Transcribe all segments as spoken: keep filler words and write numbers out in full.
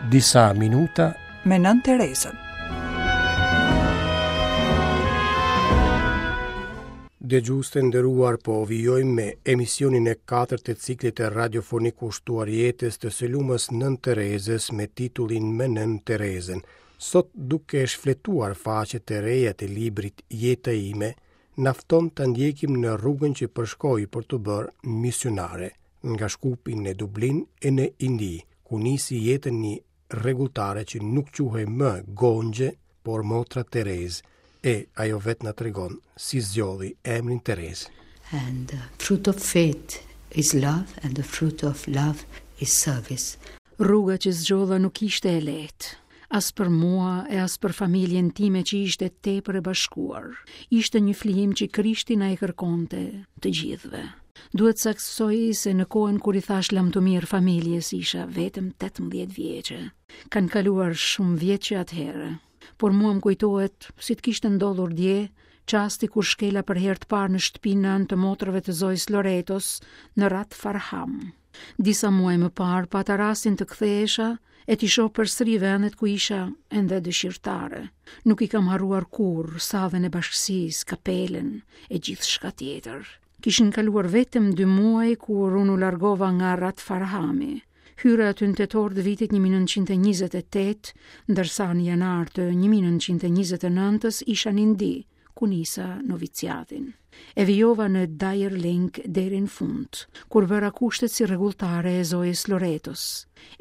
Disa minuta me Nënë Terezën. Dëgjues të nderuar, po vijojmë me emisionin e katërt të ciklit të radiofonik kushtuar jetës të së lumës Nënë Terezës me titullin Me Nënë Terezën. Sot duke shfletuar faqet e reja të librit Jeta ime, na fton të ndjekim në rrugën që përshkoi për t'u bërë misionare, nga Shkupi në Dublin e në Indi, ku nisi jetën një rregulltare që nuk quhej më Gonxhe, por Motra Terezë, e ajo vetë na tregon si zgjodhi emrin Terezë. And the fruit of faith is love and the fruit of love is service. Rruga që zgjodha nuk ishte e lehtë, as për mua e as për familjen time që ishte tepër e bashkuar. Ishte një flijim që Krishti na e kërkonte të gjithëve. Duhet saktësoj se në kohën kur i thash lamtumirë familjes isha vetëm tetëmbëdhjetë vjeçe. Kanë kaluar shumë vjet që atëherë, por mua më kujtohet si të kishte ndodhur dje, çasti kur shkela për herë të parë në shtëpinë nënë të motrave të Zojës Loretos në Rathfarnham. Disa muaj më parë pata rastin të kthehesha e t'i shoh përsëri vendet ku isha ende dëshirtare. Nuk i kam harruar kurrë sallën e bashkësisë, kapelen e gjithçka tjetër. Kishin kaluar vetëm dy muaj kur unë u largova nga Rathfarnhami. Hyra aty në tetor të vitit një mijë e nëntëqind e njëzet e tetë, ndërsa në janar të një mijë e nëntëqind e njëzet e nëntës isha në Indi, ku nisa noviciatin. E vijova në Darjeeling deri në fund, kur bëra kushtet si rregulltare e Zojës Loretos.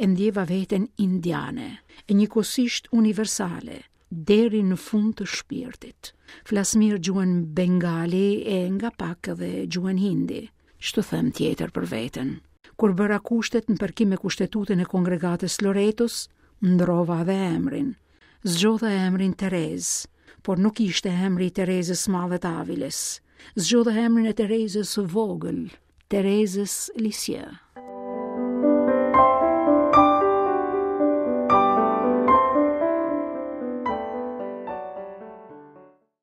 E ndjeva veten indiane, e njëkohësisht universale, deri në fund të shpirtit. Flas mirë gjuhën bengali e nga pak edhe gjuhën hindi. Ç'të them tjetër për veten? Kur bëra kushtet në përkim me kushtetutën e kongregatës Loretos, ndrova edhe emrin. Zgjodha emrin Terezë, por nuk ishte emri i Terezës Madhe të Aviles. Zgjodha emrin e Terezës së vogël, Terezës Lisieux.